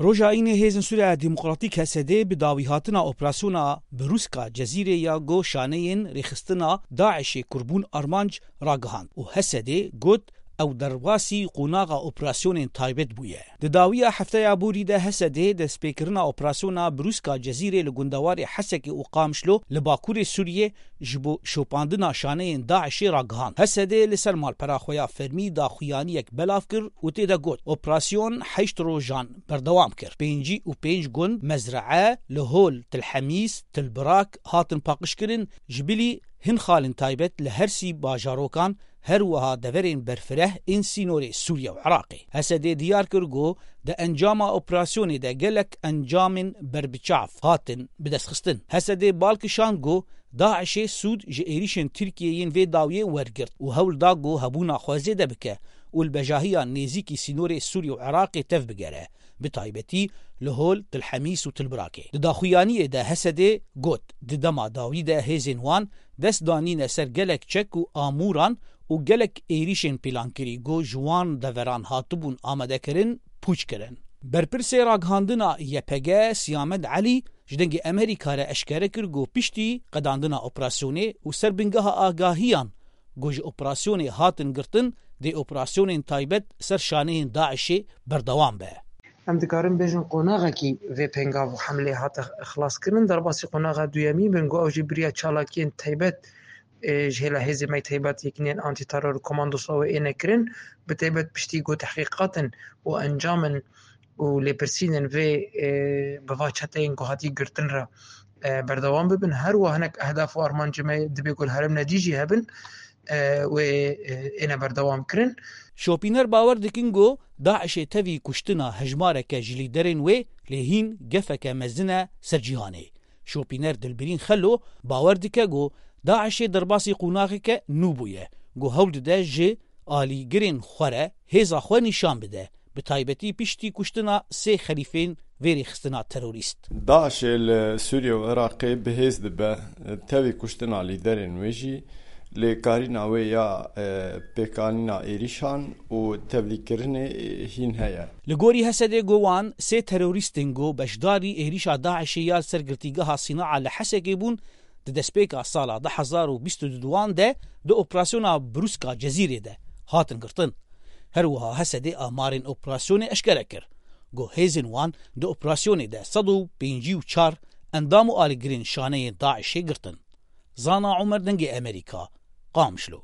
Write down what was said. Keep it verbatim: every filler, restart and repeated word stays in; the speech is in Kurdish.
Roja Înê Hêzên Sûriya Demokratîk H S D bi dawîhatina operasyona Brûska Cezîrê ya ku şaneyên rêxistina DAIŞê kirbûn armanc ragihand û H S D got ew derbasî qonaxa operasyonên taybet bûye. Di dawiya hefteya borî de H S D destpêkirina operasyona Brûska Cezîrê li gundewarê Hesekê û Qamişlo li bakurê Sûriyê ji bo şopandina şaneyên DAIŞê ragihand. H S D li ser malpera xwe ya fermî daxuyaniyek belav kir û tê de got, operasyon heşt rojan berdewam kir. Pêncî û pênc gund, mezree, li hol, Til Hemîs, Til Birak hatin paqijkirin, ji bilî hin xalên taybet li her sî bajarokan, her wiha deverên berfireh ên sînorê Sûriye û Iraqê. H S D diyar kir ku di encama operasyonê de gelek encamên berbiçav hatin bidestxistin. H S D bal kişand ku DAIŞê sûd ji êrîşên Tirkiyê yên vê dawiyê wergirt û hewl da ku hebûna xwe zêde bike û li bejahiya nêzîkî sînorê Sûrî û Iraqê tev bigere, bi taybetî li hol Til Hemîs û Til Birakê. Di daxuyaniyê de H S D got, di dema dawî de hêzên wan dest danîne ser gelek çek û amûran û gelek êrîşên pîlankirî ku ji wan deveran hatibûn amadekirin, pûç kirin. Berpirsê ragihandina Y P G Siyamed Elî ji Dengê Amerîka re eşkere kir ku piştî qedandina operasyonê û ser bingeha agahiyan ku ji operasyonê hatin girtin, dê operasyonên taybet ser şaneyên DAIŞê berdewam be. Em dikarin bêjin qonaxekî vê pengav û hemlê hate xilaskirin. Derbasî qonaxa duyemî bin ku ew jî biriya çalakiyên taybet, ê, ji hêla hêzê me taybet yekînên antîteror û komandosa wê ê nekirin, bi taybet piştî ku tehqîqatin û encamin û lêpirsînên vê, e, bi va çeteyên ku hatî girtin re, e, berdewam bibin. Her wiha hinek ehdaf û armancê me dibê ku li herêmnedî jî hebin, e, wê, e, êne berdewam kirin. Şopîner bawer dikin ku DAIŞê tevî kuştina hejmareke ji lîderên wê lê hîn gefeke mezin e ser cîhanê. Şopîner Dilbirîn Xelo bawer dike ku DAIŞê derbasî qonaxeke nû bûye, ku hewl dide ji alîgirên xwe re hêza xwe nîşan bide, bi taybetî piştî kuştina sê xelîfên vê rêxistina terorîst. DAIŞê li Sûriye û Iraqê bi hêz dibe, tevî kuştina lîderên wê jî lê karîna wê ya, e, pêkanîna êrîşan û tevlîkirinê, e, hîn heye. Li gorî H S D go wan sê terorîstên ku beşdarî êrîşa DAIŞê ya li ser girtîgeha Sînaa li Hesekê bûn, di destpêka sala du hezar û bîst û duan de di operasyona Brûska Cezîrê de hatin girtin. Her wiha H S D amarên operasyonê eşkere kir. Got hêzên wan di operasyonê de sed û pêncî û çar endam û alîgirên şaneyên DAIŞê girtin. Zana Omer, Dengê Amerîka, Qamişlo.